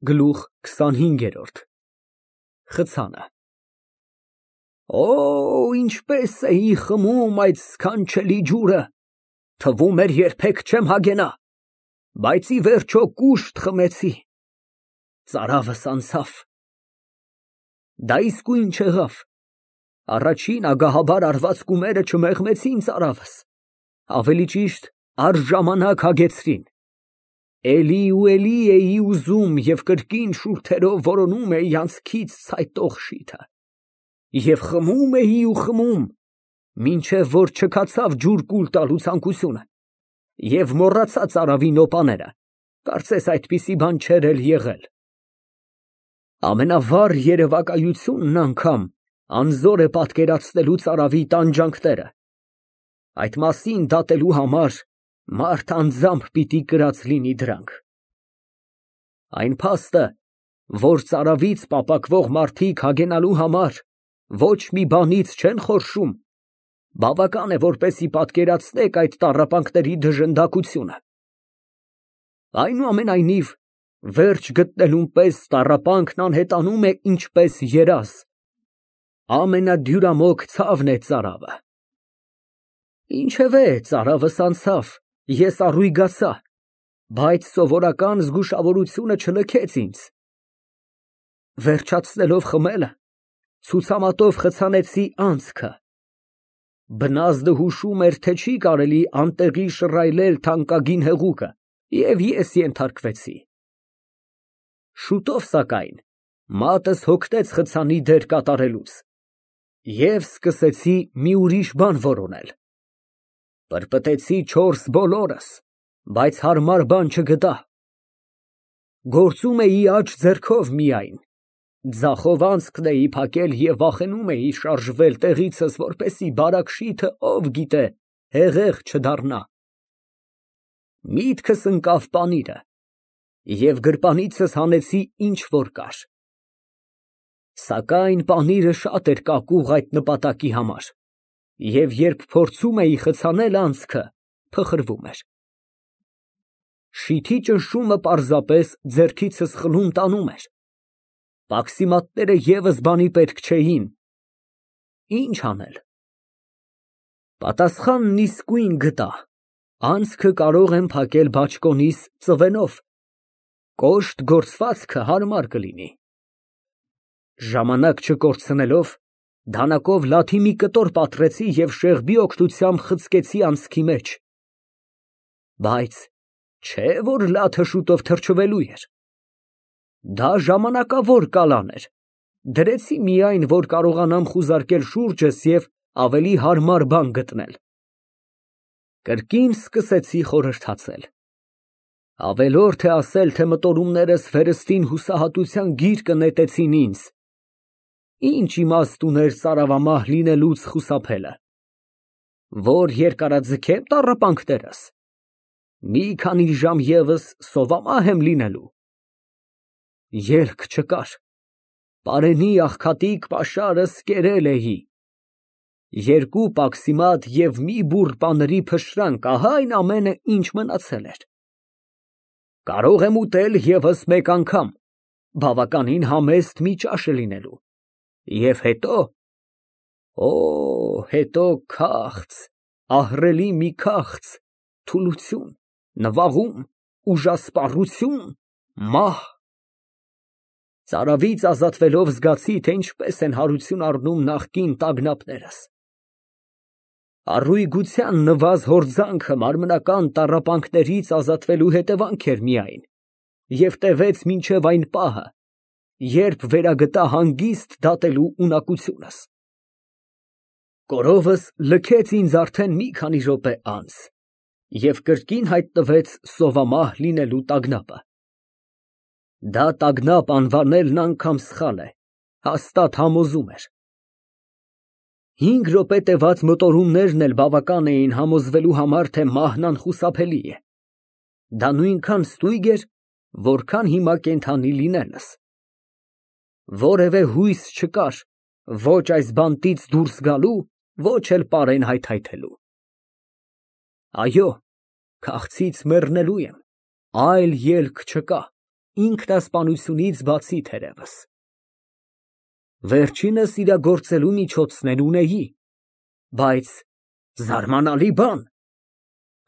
Գլուխ 25 Խցանը Օ, ինչպես էի խմում այդ սքանչելի ջուրը, թվում էր երբեք չեմ հագենա, բայց ի վերջո կուշտ խմեցի, ծարավս անցավ։ Դա իսկույն չեղավ, առաջին ագահաբար արված կումերը չմեղմեցին ծարավս, ավելի ճիշտ առժամանակ հագեցրին, էլի ու էլի էի ուզում և կրկին շուրթերով որոնում էի անցքից ցայտող շիթը, և խմում էի ու խմում, մինչև որ չքացավ ջուր կուլ տալու ցանկությունը, և մոռացա ծարավի նոպաները, կարծես այդպիսի բան չէր էլ եղել։ Ամենավառ երևակայությունն անգամ անզոր է պատկերացնելու ծարավի տանջանքները, այդ մասին դատելու համար մարդ անձամբ պիտի կրած լինի դրանք։ Այն փաստը, որ ծարավից պապակվող մարդիկ հագենալու համար ոչ մի բանից չեն խորշում, բավական է, որպեսզի պատկերացնեք այդ տառապանքների դժնդակությունը։ Այնուամենայնիվ, վերջ գտնելուն պես տառապանքն անհետանում է ինչպես երազ, ամենադյուրամոք ցավն է ծարավը։ Ինչևէ, ծարավս անցավ, ես առույգացա, բայց սովորական զգուշավորությունը չլքեց ինձ։ Վերջացնելով խմելը, ցուցամատով խցանեցի անցքը, բնազդը հուշում էր, թե չի կարելի անտեղի շռայլել թանկագին հեղուկը, և ես ենթարկվեցի։ Շուտով, սակայն, մատս հոգնեց խցանի դեր կատարելուց, և սկսեցի մի ուրիշ բան որոնել։ Պրպտեցի չորս բոլորս, բայց հարմար բան չգտա։ Գործում էի աջ ձեռքով միայն, ձախով անցքն էի փակել և վախենում էի շարժվել տեղիցս, որպեսզի բարակ շիթը, ով գիտե, հեղեղ չդառնա։ Միտքս ընկավ պանիրը, և գրպանիցս հանեցի ինչ որ կար։ Սակայն պանիրը շատ էր կակուղ այդ նպատակի համար, և երբ փորձում էի խցանել անցքը, փխրվում էր։ Շիթի ճնշումը պարզապես ձեռքիցս խլում տանում էր, պաքսիմատները ևս բանի պետք չէին։ Ինչ անել։ Պատասխանն իսկույն գտա, անցքը կարող եմ փակել բաճկոնիս ծվենով, կոշտ գործվածքը հարմար կլինի։ Ժամանակ չկորցնելով, դանակով լաթի մի կտոր պատռեցի և շեղբի օգնությամբ խցկեցի անցքի մեջ, բայց չէ որ լաթը շուտով թրջվելու էր։ Դա ժամանակավոր կալան էր, դրեցի միայն, որ կարողանամ խուզարկել շուրջս և ավելի հարմար բան գտնել։ Կրկին սկսեցի խորհրդացել։ Ավելորդ է ասել, թե մտորումներս վերստին հուսահատության գիրկը նետեցին ինձ։ Ինչ իմաստ ուներ ծարավամահ լինելուց խուսափելը, որ երկարաձգեմ տառապանքներս, մի քանի ժամ ևս սովամահ եմ լինելու։ Ելք չկար, պարենի աղքատիկ պաշարս կերել էի, երկու պաքսիմատ և մի բուռ պանրի փշրանք, ահա այն ամենը, ինչ մնացել էր։ Կարող եմ ուտել ևս մեկ անգամ, բավականին համեստ մի ճաշը լինելու, և հետո, օ, հետո քաղց, ահռելի մի քաղց, թուլություն, նվաղում, ուժասպառություն, մահ։ Ծարավից ազատվելով զգացի, թե ինչպես են հարություն առնում նախկին տագնապներս։ Առույգության նվազ հորձանքը մարմնական տառապանքներից ազատվելու հետևանք էր միայն և տևեց մինչև այն պահը, երբ վերագտա հանգիստ դատելու ունակությունս։ Կորովս լքեց ինձ արդեն մի քանի րոպե անց և կրկին հայտնվեց սովամահ լինելու տագնապը։ Դա տագնապ անվանելն անգամ սխալ է, հաստատ համոզում էր։ 5 րոպե տևած մտորումներն էլ բավական էին համոզվելու համար, թե մահն անխուսափելի է։ Դա նույնքան ստույգ էր, որքան հիմա կենդանի լինելս։ Որևէ հույս չկար ոչ այս բանտից դուրս գալու, ոչ էլ պարեն հայթայթելու։ Այո, քաղցից մեռնելու եմ, այլ ելք չկա, ինքնասպանությունից բացի թերևս։ Վերջինս իրագործելու միջոցներ ունեի, բայց զարմանալի բան,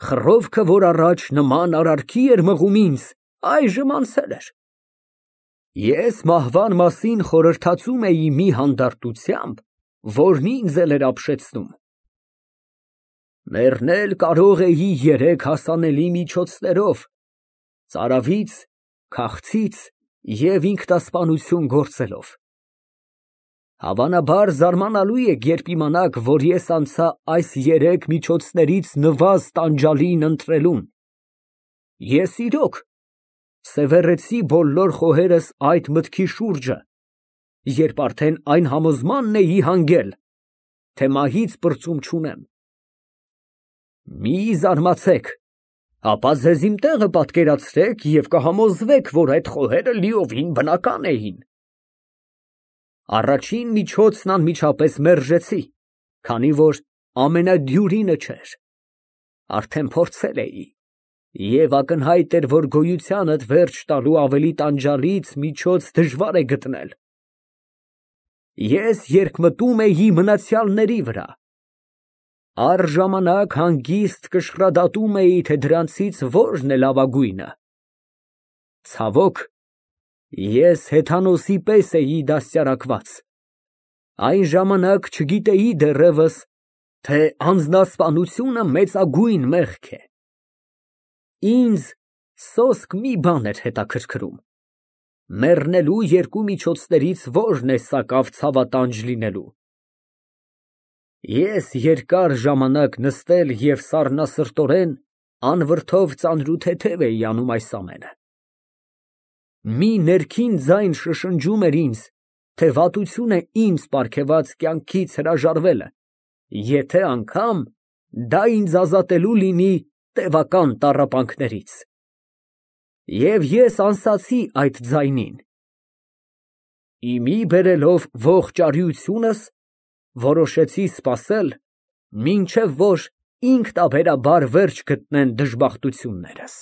խռովքը, որ առաջ նման արարքի էր մղում ինձ, այժմ անցել էր։ Ես մահվան մասին խորհրդածում էի մի հանդարտությամբ, որն ինձ էլ էր ապշեցնում։ Մեռնել կարող էի երեք հասանելի միջոցներով՝ ծարավից, քաղցից և ինքնասպանություն գործելով։ Հավանաբար զարմանալու եք, երբ իմանաք, որ ես անցա այս երեք միջոցներից նվազ տանջալին ընտրելուն։ Ես իրոք սևեռեցի բոլոր խոհերս այդ մտքի շուրջը, երբ արդեն այն համոզմանն էի հանգել, թե մահից պրծում չունեմ։ Մի զարմացեք, ապա ձեզ իմ տեղը պատկերացրեք և կհամոզվեք, որ այդ խոհերը լիովին բնական էին։ Առաջին միջոցն անմիջապես մերժեցի, քանի որ ամենադյուրինը չէր։ Արդեն փորձել էի, և ակնհայտ էր, որ գոյությանդ վերջ տալու ավելի տանջալից միջոց դժվար է գտնել։ Ես երկմտում էի մնացյալների վրա, առժամանակ հանգիստ կշռադատում էի, թե դրանցից որն է լավագույնը։ Ցավոք, ես հեթանոսի պես էի դաստիարակված, այն ժամանակ չգիտեի դեռևս, թե անձնասպանությունը մեծագույն մեղք է։ Ինձ սոսկ մի բան էր հետաքրքրում. մեռնելու երկու միջոցներից որն է սակավ ցավատանջ լինելու։ Ես երկար ժամանակ նստել և սառնասրտորեն անվրդով ծանրութեթև էի անում այս ամենը։ Մի ներքին ձայն շշնջում էր ինձ, թե վատություն է ինձ պարգևած կյանքից հրաժարվելը, եթե անգամ դա ինձ ազատելու լինի տևական տառապանքներից։ Եվ ես անսացի այդ ձայնին։ Իմի բերելով ողջ արիությունս, որոշեցի սպասել, մինչև որ ինքնաբերաբար վերջ գտնեն դժբախտություններս։